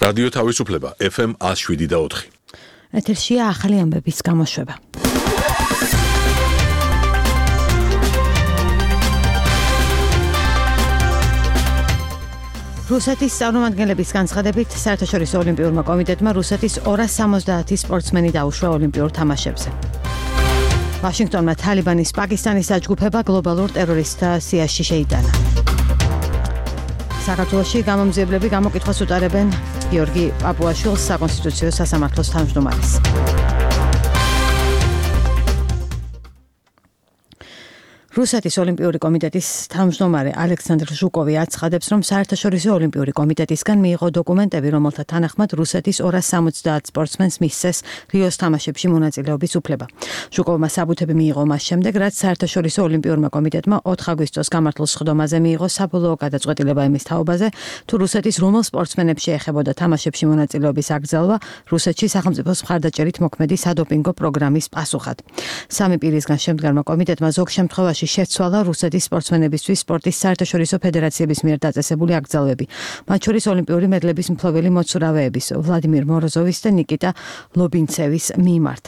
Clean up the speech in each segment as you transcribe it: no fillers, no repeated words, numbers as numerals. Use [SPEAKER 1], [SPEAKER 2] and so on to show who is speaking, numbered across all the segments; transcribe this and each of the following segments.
[SPEAKER 1] რადიო თავისუფლება FM 107.4.
[SPEAKER 2] ეთერშია ახალი ამბების გამოშვება. რუსეთის წარმომადგენლების განცხადებით საერთაშორისო ოლიმპიურმა კომიტეტმა რუსეთის 270 სპორტსმენი დაუშვა ოლიმპიურ თამაშებზე. ვაშინგტონმა თალიბანის პაკისტანის დაჯგუფება გლობალურ ტერორისტთა სიაში შეიტანა. საქართველოში გამომძიებლები გამოკითხვას უტარებენ გიორგი პაპუაშვილს საკონსტიტუციო სასამართლოს თავმჯდომარეს. რუსეთის ოლიმპიური კომიტეტის თავმჯდომარე ალექსანდრ ჟუკოვი აცხადებს, რომ საერთაშორისო ოლიმპიური კომიტეტისგან მიიღო დოკუმენტები, რომელთა თანახმად რუსეთის 270 სპორტსმენს მისცეს რიოს თამაშებში მონაწილეობის უფლება. ჟუკოვმა საბუთები მიიღო მას შემდეგ, რაც საერთაშორისო ოლიმპიურმა კომიტეტმა 4 აგვისტოს გამართულ სხდომაზე მიიღო საბოლოო გადაწყვეტილება იმის თაობაზე, თუ რუსეთის რომელ სპორტსმენებს შეეხებოდა თამაშებში მონაწილეობის აკრძალვა რუსეთში სახელმწიფოს მხარდაჭერით მოქმედი სადოპინგო პროგრამის პასუხად. სამი პირისგან შემდგარმა კომიტეტმა ზოგ შემთხვევაში შეცვალა რუსეთის სპორტსმენებისთვის სპორტის საერთაშორისო ფედერაციების მიერ დაწესებული აკრძალვები, მათ შორის ოლიმპიური მედლების მფლობელი მოცურავეების ვლადიმირ მოროზოვის და ნიკიტა ლობინცევის მიმართ.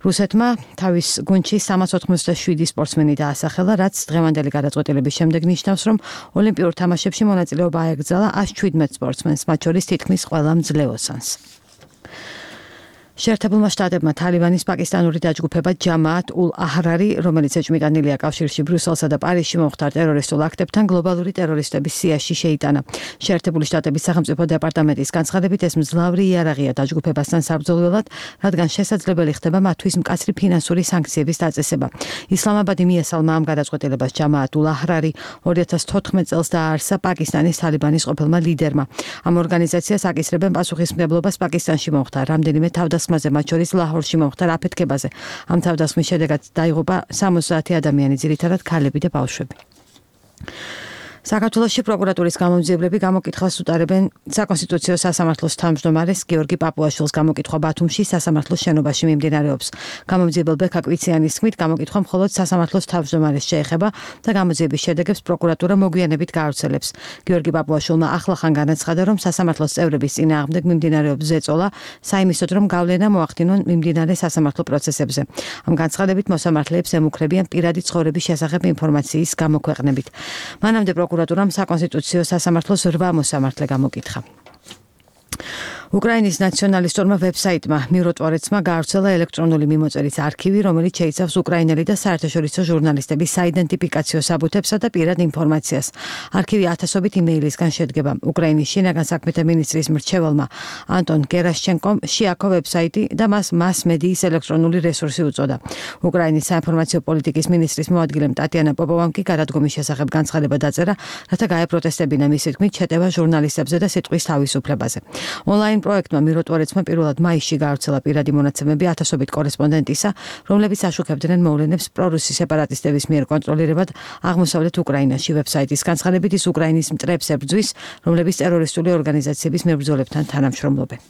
[SPEAKER 2] რუსეთმა თავის გუნდში 387 სპორტსმენი დაასახელა, რაც დღევანდელი გადაწყვეტილების შემდეგ ნიშნავს, რომ ოლიმპიურ თამაშებში მონაწილეობა აეკრძალა 117 სპორტსმენს, მათ შორის თითქმის ყველა მძლეოსანს. შეერთებულმა შტატებმა თალიბანის პაკისტანური დაჯგუფება ჯამაათ ულ აჰრარი, რომელიც ეჭვმიტანილია კავშირში ბრიუსელსა და პარიზში მომხდარ ტერორისტულ აქტებთან, გლობალური ტერორისტების სიაში შეიტანა. შეერთებული შტატების სახელმწიფო დეპარტამენტის განცხადებით, ეს მძლავრი იარაღია დაჯგუფებასთან საბრძოლველად, რადგან შესაძლებელი ხდება მათთვის მკაცრი ფინანსური სანქციების დაწესება. ისლამაბადი მიესალმა ამ გადაწყვეტილებას ჯამაათ ულ აჰრარი 2014 წელს დააარსა პაკისტანის თალიბანის ყოფილმა ლიდერმა. ამ ორგანიზაციას აკისრებენ პასუხისმგებლობას პაკისტანში მომხდარ რამდენიმე თავდასხმაზე, მათ შორის ლაჰორში მომხდარ აფეთქებაზე. ამ თავდასხმის შედეგად დაიღუპა 60 ადამიანი, ძირითადად ქალები და ბავშვები. საქართველოში პროკურატურის გამომძიებლები გამოკითხვას უტარებენ საკონსტიტუციო სასამართლოს თავმჯდომარეს გიორგი პაპუაშვილს. გამოკითხვა ბათუმში სასამართლოს შენობაში მიმდინარეობს. გამომძიებელ ბექა კვიციანის თქმით, გამოკითხვა მხოლოდ სასამართლოს თავმჯდომარეს შეეხება და გამოძიების შედეგებს პროკურატურა მოგვიანებით გაავრცელებს. გიორგი პაპუაშვილმა ახლახან განაცხადა, რომ სასამართლოს წევრების წინააღმდეგ მიმდინარეობს ზეწოლა, საიმისოდ რომ გავლენა მოახდინონ მიმდინარე სასამართლო პროცესებზე. ამ განცხადებით მოსამართლეებს ემუქრებიან პირადი ცხოვრების შესახებ ინფორმაციის გამოქვეყნებით. მანამდე პროკურატურამ საკონსტიტუციო სასამართლოს 8 მოსამართლე გამოკითხა. უკრაინის ნაციონალისტურმა ვებსაიტმა მიროტვარეცმა გაავრცელა ელექტრონული მიმოწერის არქივი, რომელიც შეიცავს უკრაინელი და საერთაშორისო ჟურნალისტების საიდენტიფიკაციო საბუთებსა და პირად ინფორმაციას. არქივი ათასობით იმეილისგან შედგება. უკრაინის შინაგან საქმეთა მინისტრის მრჩეველმა ანტონ გერაშჩენკომ შეაქო ვებსაიტი და მას მას-მედიის ელექტრონული რესურსი უწოდა. უკრაინის საინფორმაციო პოლიტიკის მინისტრის მოადგილემ ტატიანა პოპოვამ კი გადადგომის შესახებ განცხადება დაწერა, რათა გაეპროტესტებინა მისი თქმით შეტევა ჟურნალისტებზე და სიტყვის თავისუფლებაზე. ონლაინ პროექტმა მიროტვარეცმა პირველად მაისში გაავრცელა პირადი მონაცემები ათასობით კორესპონდენტისა, რომლებიც აშუქებდნენ მოვლენებს პრორუსი სეპარატისტების მიერ კონტროლირებად აღმოსავლეთ უკრაინაში. ვებსაიტის განცხადებით ის უკრაინის მტრებს ებრძვის, რომლებიც ტერორისტული ორგანიზაციების მებრძოლებთან თანამშრომლობენ.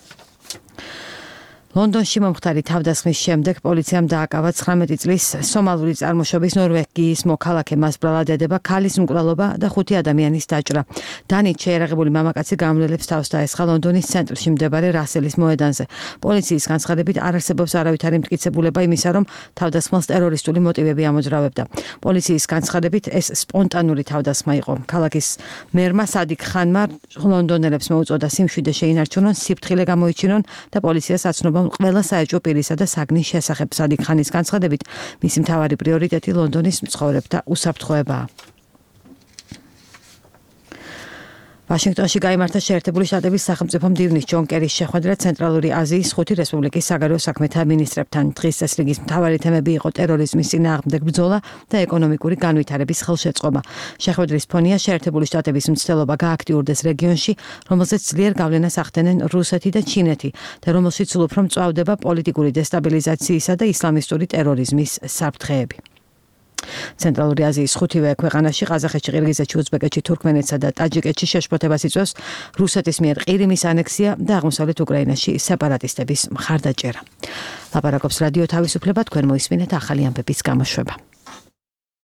[SPEAKER 2] ლონდონში მომხდარი თავდასხმის შემდეგ პოლიციამ დააკავა 19 წლის სომალური წარმოშობის ნორვეგიის მოქალაქე მასბრალად ედება ქალის მკვლელობა და 5 ადამიანის დაჭრა. დანით შეერაღებული მამაკაცი გამლელებს თავს დაესხა ლონდონის ცენტრში მდებარე რასელის მოედანზე. პოლიციის განცხადებით არ არსებობს არავითარი მტკიცებულება იმისა, რომ თავდასხმას ტერორისტული მოტივები ამოძრავებდა. პოლიციის განცხადებით ეს სპონტანური თავდასხმა იყო. ქალაქის მერმა სადიკ ხანმა ლონდონელებს მოუწოდა სიმშვიდე შეინარჩუნონ, სიფრთხილე გამოიჩინონ და პოლიციას აცნობა ყველა საეჭვო პირისა და საგნის შესახებ. სადიკ ხანის განცხადებით, მისი მთავარი პრიორიტეტი ლონდონის მცხოვრებთა უსაფრთხოებაა. ვაშინგტონში გაიმართა შეერთებული შტატების სახელმწიფო მდივნის ჯონ კერის შეხვედრა ცენტრალური აზიის 5 რესპუბლიკის საგარეო საქმეთა მინისტრებთან. დღის წესრიგის მთავარი თემები იყო ტერორიზმის წინააღმდეგ ბრძოლა და ეკონომიკური განვითარების ხელშეწყობა. შეხვედრის ფონია შეერთებული შტატების მცდელობა გააქტიურდეს რეგიონში, რომელზეც ძლიერ გავლენას ახდენენ რუსეთი და ჩინეთი და რომელშიც სულ უფრო მწვავდება პოლიტიკური დესტაბილიზაციისა და ისლამისტური ტერორიზმის საფრთხეები. ცენტრალური აზიის 5-ვე ქვეყანაში ყაზახეთში, ყირგიზეთში, უზბეკეთში, თურქმენეთსა და ტაჯიკეთში შეშფოთებას იწვევს რუსეთის მიერ ყირიმის ანექსია და აღმოსავლეთ უკრაინაში სეპარატისტების მხარდაჭერა. ლაპარაკობს რადიო თავისუფლება, თქვენ მოისმინეთ ახალი ამბების გამოშვება.